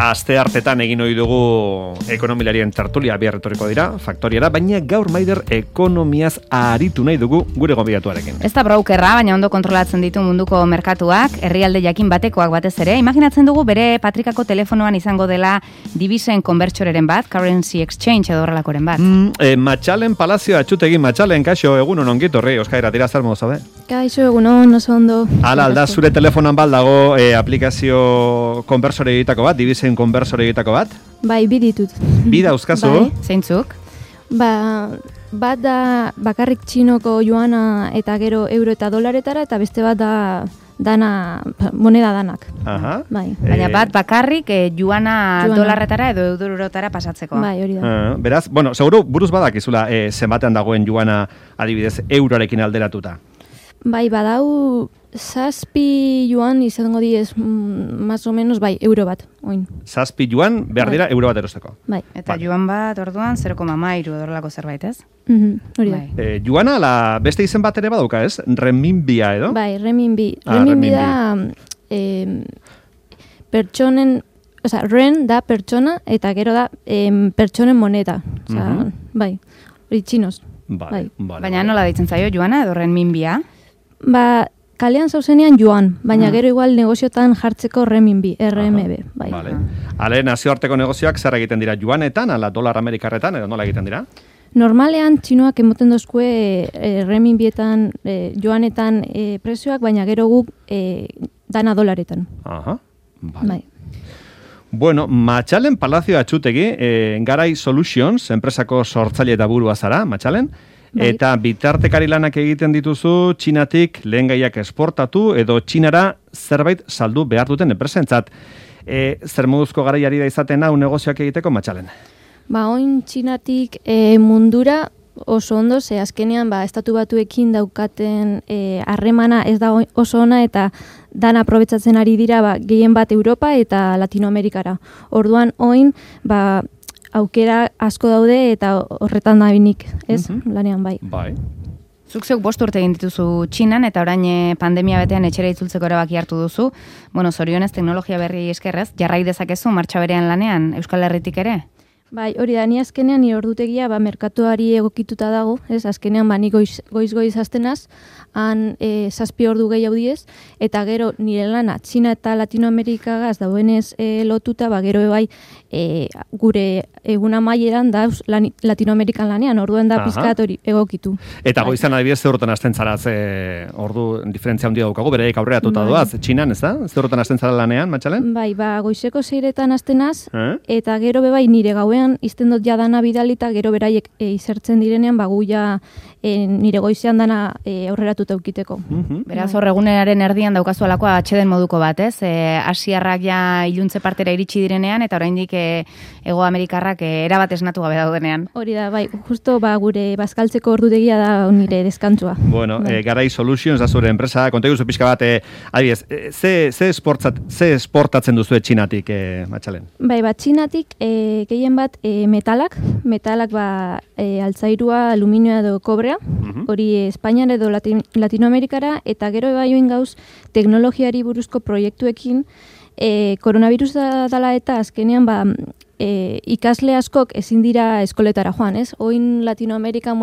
Aste hartetan egin ohi dugu ekonomilarien tertulia bihar etorriko dira, faktoriara, baina gaur Maider ekonomiaz aritu nahi dugu gure gonbidatuarekin. Ez da brokerra, baina ondo kontrolatzen ditu munduko merkatuak, herrialde jakin batekoak batez ere. Imaginatzen dugu bere patrikako telefonoan izango dela divisen konbertsoreren bat, currency exchange edo horrelakoren bat. Matxalen Palazio atxutegi Matxalen, kaixo, egunon ongit horri, Euskaira tira zer modu zabe? Kaixo, egunon, oso ondo. Hala, alda, zure telefonan baldago aplikazio konbertsore egitako bat, divisen konbertsore egitako bat? Bai, bi ditut. Bi dauzkazu? Bai. Zeintzuk? Bat da bakarrik txinoko joana eta gero euro eta dolaretara, eta beste bat da moneda danak. Aha. Bai. Baina bat bakarrik joana dolarretara edo eurotara pasatzeko. Bai, hori da. Beraz, bueno, seguru buruz badakizula zenbatean dagoen joana adibidez euroarekin alderatuta. Bai, badau 7 yuan izango diez, más o menos, bai, euro bat, oin. 7 yuan behar dira euro bat erosteko. Bai. Eta juan bat orduan 0,3 dorlako zerbait, ez? Hori da. Bai. Juana, beste izen bat ere badauka, ez? Renminbia edo? Bai, renminbi. Renminbi da pertsonen, ren da pertsona eta gero da pertsonen moneda. Bai, hori txinos. Bai. Baina nola deitzen zaio juana edo renminbia? Kalean zauzenean joan, baina gero igual negoziotan jartzeko renminbi, RMB. Bai. Vale. Ale, nazioarteko negozioak zer egiten dira juanetan, ala dolar amerikarretan, edo nola egiten dira? Normalean txinoak emoten dozkue renminbietan, joanetan prezioak, baina gero guk dana dolaretan. Aha, vale. Bai. Bueno, Matxalen Palazio atxutegi, Garai Solutions, enpresako sortzaile eta burua zara, Matxalen, eta bitartekari lanak egiten dituzu Txinatik lehengaiak esportatu edo Txinara zerbait saldu behar duten enpresentzat. Zer moduzko garaiari da izaten hau negozioak egiteko, Matxalen? Oin Txinatik mundura oso ondo, ze azkenean estatu batuekin daukaten harremana ez da oso ona eta dan aprobetsatzen ari dira gehien bat Europa eta Latinoamerikara. Orduan oin aukera asko daude eta horretan da binik, ez? Lanean bai. Bai. Zuk zeuk 5 urte egin dituzu Txinan eta orain pandemia betean etxera itzultzeko erabaki hartu duzu. Bueno, zorionez teknologia berri eskerrez, jarrai dezakezu martxa berean lanean Euskal Herritik ere? Bai, hori da, ni azkenean ni ordutegia merkatuari egokituta dago, ez? Azkenean ni goiz hastenaz, han 7 ordu gehiago diez, eta gero nire lana Txina eta Latinoamerikagaz dauenez lotuta, gero bai gure egun amaieran dauz Latinoamerikan lanean, orduan da pizkat hori egokitu. Eta goizan adibidez ze horretan hasten zara, ordu diferentzia handia daukagu, bereik aurreratuta doaz, Txinan, ez da? Ze horretan hasten zara lanean, Matxalen? Bai, goizeko 6etan hastenaz, eta gero bai nire gauean izten dut jadana bidalita, gero beraiek izertzen direnean, gu ja nire goizean dana aurreratuta eukiteko. Beraz, hor egunaren erdian daukazu alakoa atxeden moduko bat, ez? Asiarrak ja iluntze partera iritsi direnean, eta oraindik Ego Amerikarrak erabat esnatu gabe daudenean. Hori da, bai, justo gure bazkaltzeko ordutegia da nire deskantzua. Bueno, Garai Solutions da zure enpresa, konta iguzu pixka bat, adibidez, ze esportatzen duzu Txinatik, Matxalen? Bai, Txinatik gehien bat metalak altzairua, aluminioa edo kobrea, hori Espainian edo Latinoamerikara, eta gero baioin gauz teknologiari buruzko proiektuekin, koronavirus dala eta azkenean ikasle askok ezin dira eskoletara joan, ez? Oin Latinoamerikan,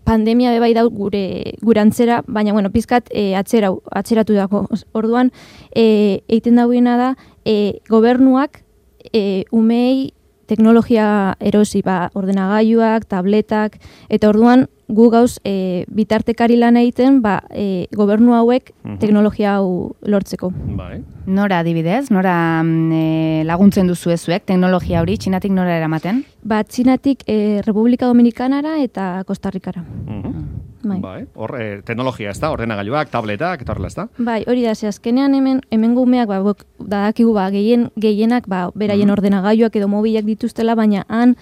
pandemia bebai dau gure antzera, baina, pizkat atzeratu dago. Orduan, eiten dauena da, gobernuak umei teknologia erosi, ordenagailuak, tabletak, eta orduan gu gauz bitartekari lan egiten gobernu hauek teknologia hau lortzeko. Bai. Nora adibidez, nora laguntzen duzu ezuek teknologia hori, Txinatik nora eramaten? Txinatik Republika Dominikanara eta Kostarrikara. Bai. Hor, teknologia ez da, ordenagailuak, tabletak, eta horrela ez da? Bai, hori da, ze azkenean hemen gumeak dadakigu gehienak beraien ordenagailuak edo mobilak dituztela, baina han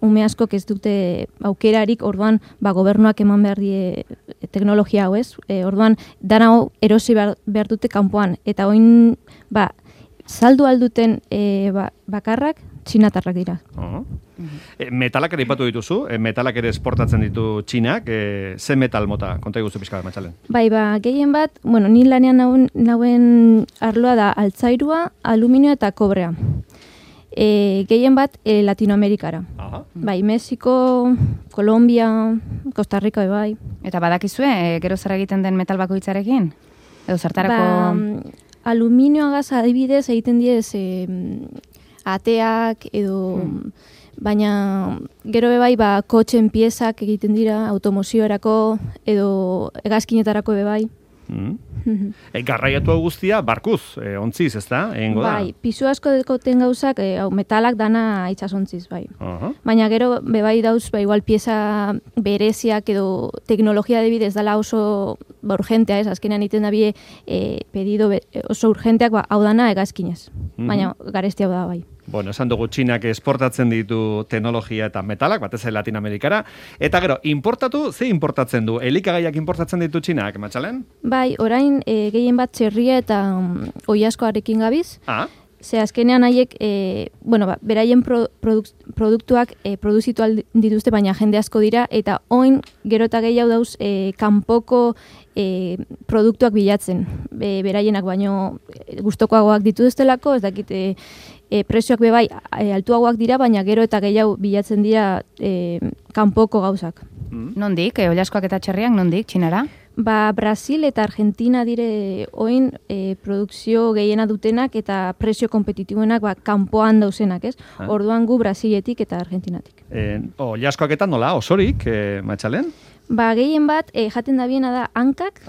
ume askok ez dute aukerarik, orduan gobernuak eman behar die teknologia hau, ez? Orduan, dana hau erosi behar dute kanpoan, eta oin saldu alduten bakarrak txinatarrak dira. Metalak ere ipatu dituzu, metalak ere esportatzen ditu Txinak, ze metal mota, konta iguzu pixka bat, Matxalen? Bai, gehien bat, bueno, ni lanean nauen arloa da altzairua, aluminioa eta kobrea. Gehien bat Latinoamerikara. Bai, Mexiko, Kolombia, Costa Rica, bai. Eta badakizue, gero zer egiten den metal bakoitzarekin? Edo zertarako... Aluminioagaz adibidez egiten diez ateak edo... Baina gero bebai kotxen piezak egiten dira automoziorako edo hegazkinetarako bebai. Garraiatu guztia barkuz, ontziz, ez da? Bai, pisu asko dekoten gauzak, metalak dana itxasontziz, bai. Baina gero bebai dauz, igual pieza bereziak edo teknologia debidez dala oso urgentea, ez? Azkenean iten da bie pedido oso urgenteak, hau dana hegazkinez. Baina garesti hau da, bai. Bueno, esan dugu Txinak esportatzen ditu teknologia eta metalak, batez Latinoamerikara. Eta gero, ze importatzen du? Elikagaiak importatzen ditu Txinak, Matxalen? Bai, orain gehien bat txerria eta oilaskoarekin gabiz. Ze azkenean haiek, beraien produktuak produzitu dituzte, baina jende asko dira, eta oin gero eta gehiago dauz kanpoko produktuak bilatzen. Beraienak baino gustokoagoak dituztelako, ez dakit prezioak bebai altuagoak dira, baina gero eta gehiago bilatzen dira kanpoko gauzak. Nondik, oilaskoak eta txerriak, nondik, Txinara? Brasil eta Argentina dire oin produkzio gehiena dutenak eta prezio kompetitibuenak kanpoan dauzenak, ez? Orduan gu Brasiletik eta Argentinatik. Oilaskoak eta nola, osorik, Matxalen? Gehien bat, jaten da biena da hankak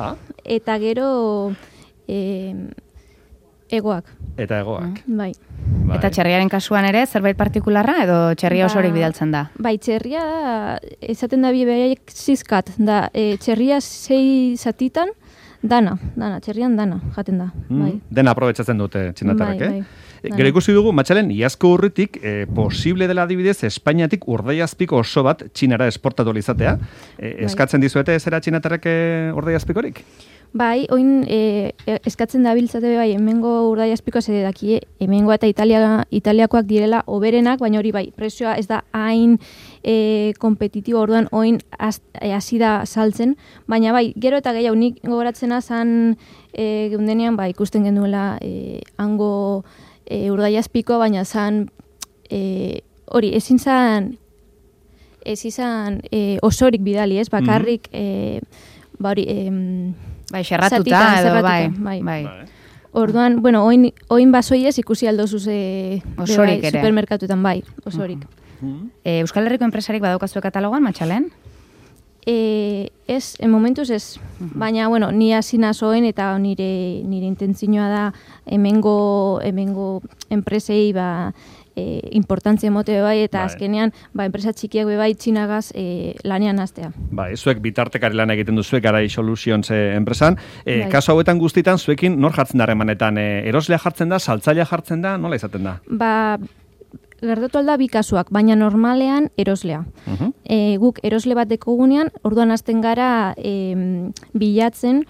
eta gero egoak. Eta egoak. Bai. Eta txerriaren kasuan ere, zerbait partikularra edo txerria osorik bidaltzen da? Bai, txerria esaten da behaiek zizkat, da txerria 6 zatitan, dana, txerrian dana, jaten da. Dena aprobetsatzen dute txinatarrak, Gero ikusi dugu, Matxalen, iazko urritik, posible dela adibidez, Espainiatik urdaiazpiko oso bat Txinara esportatu izatea. Eskatzen dizuete zera txinatarrak urdaiazpikorik? Bai, oin eskatzen da biltzate bai, hemengo urdaiazpikoa zede daki, hemengo eta italiakoak direla oberenak, baina hori bai, prezioa ez da hain kompetitibo, orduan oin hasi da saltzen, baina bai, gero eta gehiago nik gogoratzena zan geundenean, ikusten genuela hango urdaiazpikoa, baina zan hori, ezin zan osorik bidali, ez, bakarrik bai, xerratuta edo, bai. Orduan, oin basoiez ikusi aldozuz osorik ere. Supermerkatuetan, bai, osorik. Euskal Herriko enpresarik badaukazu katalogan, Matxalen? Ez, en momentuz ez. Baina, ni hasi nazoen eta nire intentzioa da hemengo enpresei importantzia emote bai, eta azkenean enpresa txikiak bai Txinagaz lanean hastea. Bai, zuek bitartekari lan egiten duzuek Garai Solutions enpresan. Kasu hauetan guztitan, zuekin nor jartzen da harremanetan? Eroslea jartzen da, saltzailea jartzen da, nola izaten da? Gertatu alda bi kasuak, baina normalean eroslea. Guk erosle bat dekogunean, orduan hasten gara bilatzen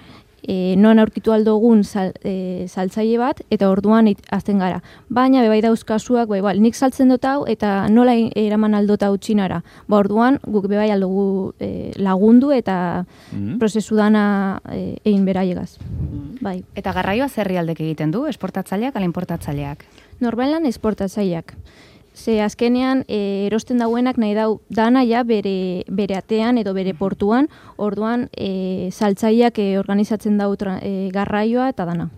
non aurkitu aldogun saltzaile bat, eta orduan hasten gara. Baina bebai dauz kasuak, nik saltzen dut hau, eta nola eraman aldot hau Txinara. Orduan guk bebai aldugu lagundu eta prozesu dana egin beraiegaz. Eta garraioa zerri aldek egiten du, esportatzaileak ala importatzaileak? Normalan esportatzaileak. Ze azkenean erosten dauenak nahi dau dana ja bere atean edo bere portuan, orduan saltzaileak organizatzen dau garraioa eta dana.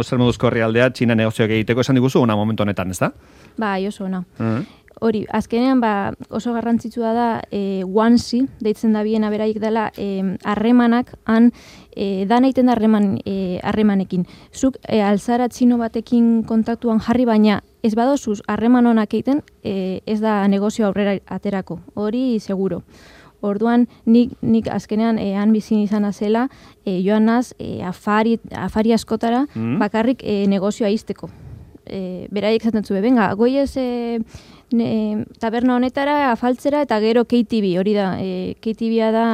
Zer moduzko herrialdea Txina negozioak egiteko esan diguzu, ona momentu honetan, ez da? Bai, oso ona. Hori, azkenean oso garrantzitsua da guanzi, deitzen da biena beraik dela harremanak, dana egiten da harremanekin. Zuk alzara txino batekin kontaktuan jarri, baina ez badozuz harreman honak egiten, ez da negozio aurrera aterako. Hori seguro. Orduan, nik azkenean han bizin izan azela, joan naz afari askotara, bakarrik negozioa izteko. Beraiek zaten zube, venga, goiez taberna honetara afaltzera eta gero KTV, hori da, KTV-a da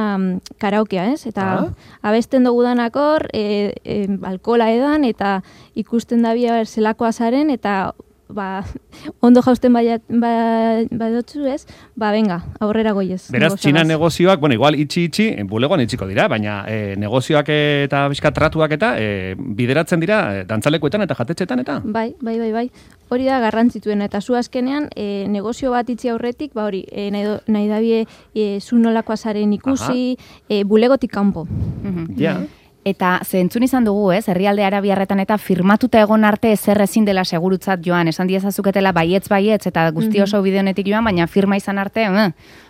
karaokea, ez? Eta abesten dugu danakor, alkola edan, eta ikusten da bia zelakoa zaren, eta ondo jausten badotzu ez, venga, aurrera goiez. Beraz, Txina negozioak, bueno, igual itxi, bulegoan itxiko dira, baina negozioak eta bizkatratuak eta bideratzen dira dantzalekuetan eta jatetxetan eta? Bai. Hori da garrantzituena, eta zu azkenean negozio bat itxi aurretik, hori, nahi dabie zu nolakoa zaren ikusi, bulegotik kanpo. Ja. Eta zentzun izan dugu, herrialde arabiarretan eta firmatuta egon arte ezer ezin dela segurutzat joan, esan diezazuketela baietz, eta guzti oso bide honetik joan, baina firma izan arte,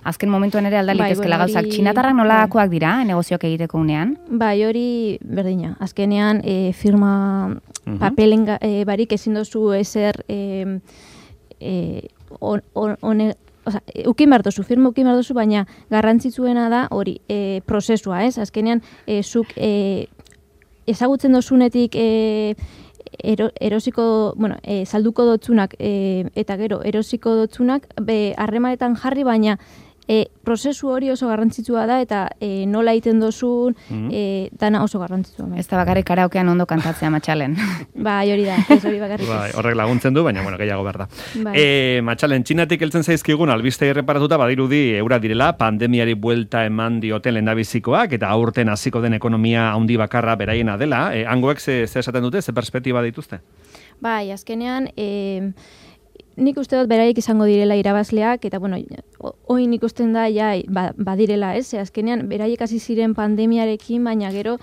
azken momentuen ere aldalitezkela gauzak. Txinatarrak nolakoak dira, negozioak egiteko unean? Bai, hori berdina. Azkenean, firma papelen barik ezin dozu ezer ukin behar dozu, firma ukin behar dozu, baina garrantzitsuena da hori prozesua, ez? Azkenean, zuk ezagutzen dozunetik erosiko, salduko dotzunak eta gero erosiko dotzunak harremanetan jarri, baina prozesu hori oso garrantzitsua da eta nola egiten dozun dana oso garrantzitsua. Ez da bakarrik karaokean ondo kantatzea Matxalen. Bai, hori da, ez hori bakarrik. Bai, horrek laguntzen du, baina gehiago behar da. Matxalen, Txinatik heltzen zaizkigun albiste erreparatuta badirudi eura direla, pandemiari buelta eman dioten lehendabizikoak eta aurten hasiko den ekonomia handi bakarra beraiena dela. Hangoek ze esaten dute, ze perspektiba dituzte? Bai, azkenean nik uste dut beraiek izango direla irabazleak, eta oin ikusten da badirela, ez? Azkenean beraiek hasi ziren pandemiarekin, baina gero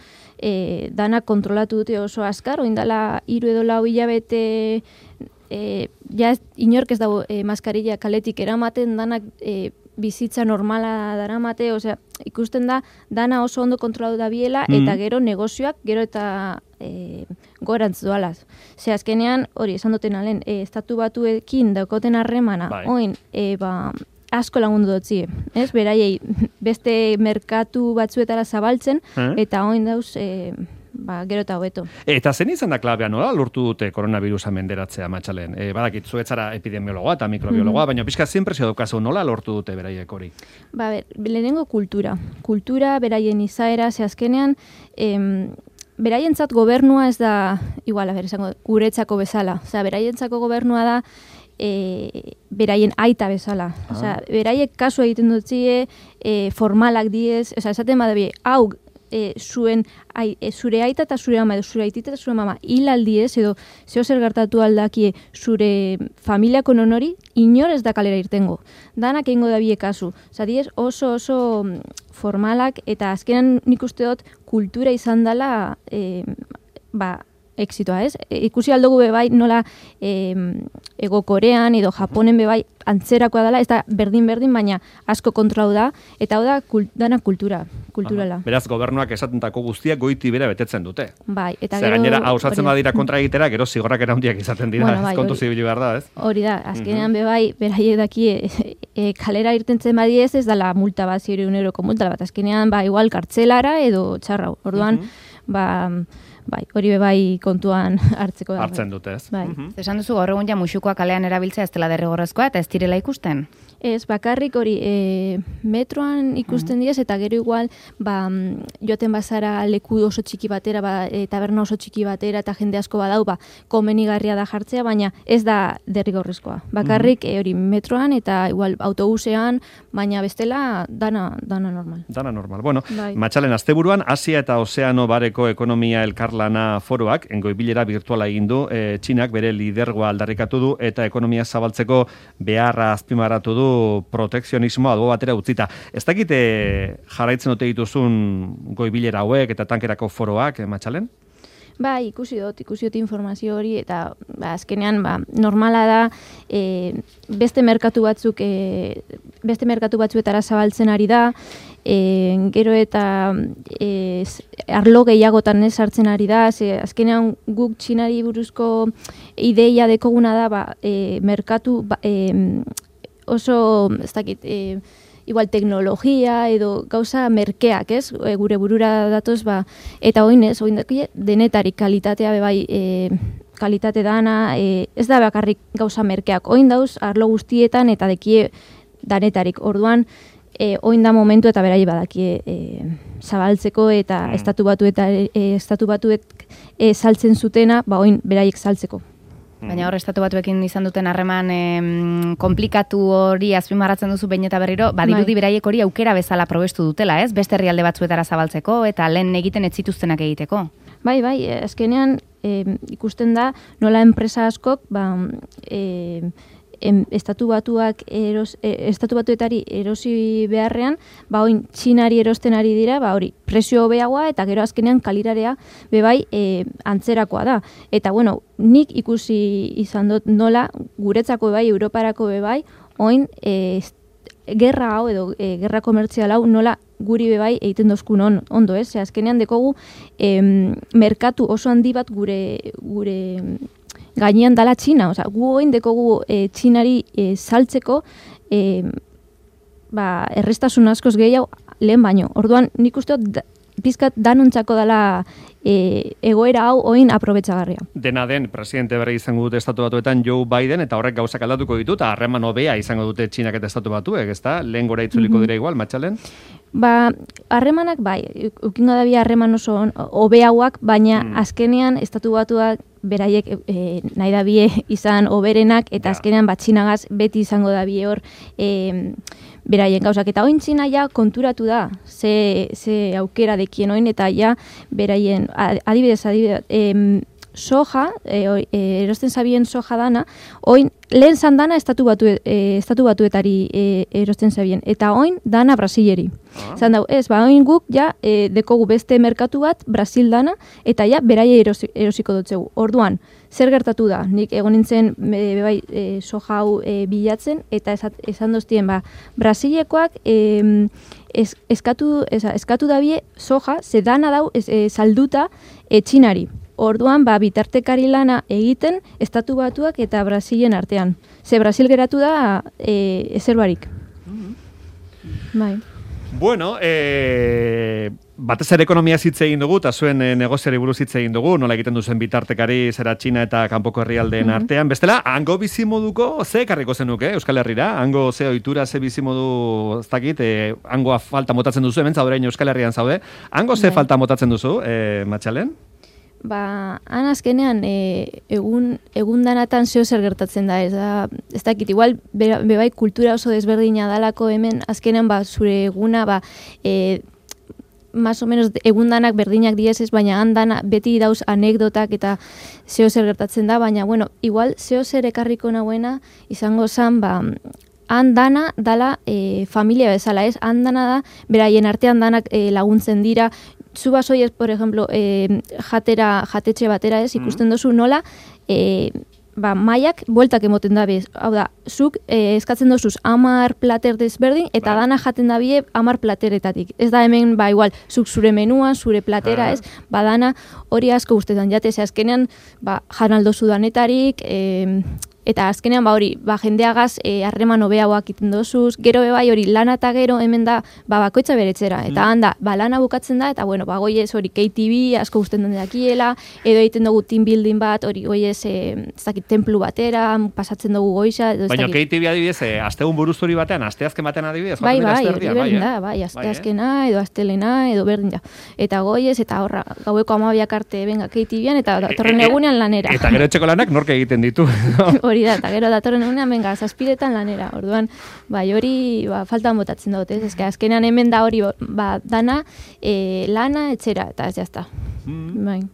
danak kontrolatu dute oso azkar, oin dela 3 edo 4 hilabete inork ez dago maskarilla kaletik eramaten, danak bizitza normala daramate, osea, ikusten da dana oso ondo kontrolatu da biela, eta gero negozioak, gero eta gorantz doalaz. Ze azkenean, hori, esan duten alen, estatu batuekin daukoten harremana, oin, asko lagundu dutzi, ez? Beraiei beste merkatu batzuetara zabaltzen, eta oin dauz, gero eta hobeto. Eta zen izan da klabea nola lortu dute koronavirusa menderatzea, Matxalen? Badakit, zuetzara epidemiologoa eta mikrobiologoa, baina pixka zinpresio daukazu nola lortu dute beraiek hori? Lehenengo kultura. Kultura, beraien izaera, ze azkenean, beraientzat gobernua ez da, igual, guretzako bezala. Osea, beraientzako gobernua da beraien aita bezala. Osea, beraiek kasu egiten dutzie, formalak diez, esaten badabe, hau, zure aita eta zure ama, edo zure aitita eta zure mama hilaldiez, edo zeo zer gertatu aldakie zure familiako nonori, inor ez da kalera irtengo. Danak egingo da bie kasu. Osa, diez oso formalak, eta azkenan nik uste dut kultura izan dela exitoa, ez? Ikusi aldugu bebai nola Ego Korean edo Japonen bebai antzerakoa dela, ez da berdin, baina asko kontrolau da, eta hau da dana kulturala. Beraz, gobernuak esatentako guztiak goiti bera betetzen dute. Bai, eta gero... gainera, hausatzen badira kontra egitera, gero zigorrak eraundiak izaten dira, ez kontu zibili behar da, ez? Hori da, azkenean bebai, beraiek daki kalera irtentzen badiez, ez dala multa bat, 100 euroko multa bat, azkenean, igual kartzelara edo txarrau. Orduan, hori bebai kontuan hartzeko da. Hartzen dute, ez? Esan duzu, gaur egun ja musukoa kalean erabiltzea ez dela derrigorrezkoa eta ez direla ikusten? Ez, bakarrik hori metroan ikusten diez, eta gero igual joaten bazara leku oso txiki batera, taberna oso txiki batera, eta jende asko badau, komenigarria da jartzea, baina ez da derrigorrezkoa. Bakarrik hori metroan eta igual autobusean, baina bestela dana normal. Dana normal. Bueno, Matxalen, asteburuan Asia eta Ozeano bareko ekonomia elkarlana foroak, engoibilera virtuala egin du, Txinak bere lidergoa aldarrikatu du, eta ekonomia zabaltzeko beharra azpimarratu du protekzionismoa albo batera utzita. Ez dakite jarraitzen dute dituzun goibilera hauek eta tankerako foroak, Matxalen? Ikusi dut informazio hori, eta azkenean normala da beste merkatu batzuetara zabaltzen ari da, gero eta arlo gehiagotan sartzen ari da, azkenean guk Txinari buruzko ideia dekoguna da merkatu oso, ez dakit, igual teknologia edo gauza merkeak, ez? Gure burura datoz, eta oin denetarik kalitatea bebai kalitate dana, ez da bakarrik gauza merkeak. Oin dauz, arlo guztietan eta dekie danetarik. Orduan, oin da momentu eta berai badakie zabaltzeko eta estatu batuek saltzen zutena, oin beraiek saltzeko. Baina hor estatu batuekin izan duten harreman komplikatu hori azpimarratzen duzu behin eta berriro, badirudi beraiek hori aukera bezala probestu dutela, ez? Beste herrialde batzuetara zabaltzeko eta lehen egiten ez zituztenak egiteko. Bai, azkenean ikusten da nola enpresa askok estatu batuetari erosi beharrean, oin Txinari erosten ari dira, hori prezio hobeagoa eta gero azkenean kalitatea bebai antzerakoa da. Eta bueno, nik ikusi izan dut nola guretzako bebai, Europarako bebai, oin gerra hau edo gerra komertzial hau nola guri bebai egiten dozkun ondo, ez? Azkenean dekogu merkatu oso handi bat gure gainean dala Txina, gu oin dekogu Txinari saltzeko errestasun askoz gehiago lehen baino. Orduan nik uste dut pizkat danontzako dela egoera hau oin aprobetxagarria. Dena den, presidente berri izango dute estatu batuetan Joe Biden, eta horrek gauzak aldatuko ditu, eta harreman hobea izango dute Txinak eta estatu batuek, ezta? Lehen gora itzuliko dira igual, Matxalen? Harremanak ukingo da bi harreman oso hobeagoak, baina azkenean estatu batuak beraiek nahi da bie izan oberenak, eta azkenean Txinagaz beti izango da bie hor beraien gauzak. Eta oin Txina ja konturatu da, ze aukera dekien oin, eta ja beraien, adibidez, soja, erosten zabien soja dana, oin lehen zan dana estatu batuetari erosten zabien, eta oin dana Brasileri. Zan dau, oin guk ja dekogu beste merkatu bat, Brasil dana, eta ja beraie erosiko dutzegu. Orduan, zer gertatu da? Nik egon nintzen soja hau bilatzen, eta esan doztien, Brasilekoak eskatu dabie soja, ze dana dau salduta Txinari. Orduan, bitartekari lana egiten estatu batuak eta Brasilen artean. Ze Brasil geratu da ezer barik. Bai. Bueno, batez ere ekonomia hitz egin dugu, eta zuen negoziari buruz hitz egin dugu, nola egiten duzen bitartekari zera Txina eta kanpoko herrialdeen artean. Bestela, hango bizimoduko ze ekarriko zenuke Euskal Herrira? Hango ze ohitura, ze bizimodu, ez dakit, hangoa falta motatzen duzu, hemen zaude Euskal Herrian zaude. Hango ze falta motatzen duzu, Matxalen? Han azkenean egun danatan zeo zer gertatzen da, ez dakit, igual bebai kultura oso desberdina dalako hemen, azkenean zure eguna, más o menos egundanak berdinak diez ez, baina handana beti dauz anekdotak eta zeo zer gertatzen da, baina bueno, igual zeo zer ekarriko nagoena izango zen, handana dala familia bezala, ez? Handana da, beraien artean danak laguntzen dira. Zu basoi ez, por ejemplo, jatetxe batera ez, ikusten dozu nola, maiak bueltak emoten da bez. Hau da, zuk eskatzen dozuz 10 plater desberdin, eta dana jaten da bie 10 plateretatik. Ez da hemen, igual, zuk zure menua, zure platera ez, dana hori asko guztetan jate, ze azkenean, jan aldozu danetarik, eta azkenean hori, jendeagaz harreman hobeagoak iten dozuz, gero bai hori lana eta gero hemen da bakoitza beretzera, eta handa lana bukatzen da, eta bueno, goiez hori KTV asko guzten den dakiela, edo egiten dugu team building bat, hori goiez templu batera, pasatzen dugu goiza. Baina KTV adibidez, astegun buruzuri batean, asteazken batean adibidez, hori berdin da, asteazkena, edo astelena, edo berdin da. Eta goiez, eta horra, gaueko 12 arte benga KTV-an, eta datorren egunean lanera. Eta gero etxeko lanak nork egiten ditu. Hori da, eta gero datorren egunean, benga, 7etan lanera. Orduan, hori faltan botatzen dut, ez? Ezke, azkenean hemen da hori, dana, lana, etxera, eta ez jazta.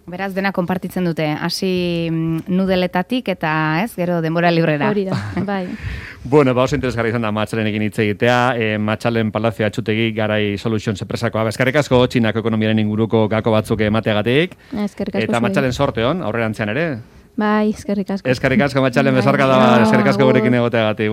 Beraz, dena konpartitzen dute, hasi nudeletatik eta, ez, gero denbora librera. Hori da, bai. Bueno, oso interesgarri izan da Matxalenekin hitz egitea, Matxalen Palazio Atxutegi Garai Solutions enpresakoa. Eskerrik asko Txinako ekonomiaren inguruko gako batzuk emateagatik. Eskerrik asko. Eta Matxalen sorte hon, aurrerantzean ere. Bai, eskerrik asko. Eskerrik asko Matxalen, besarka da, eskerrik asko gurekin egoteagatik.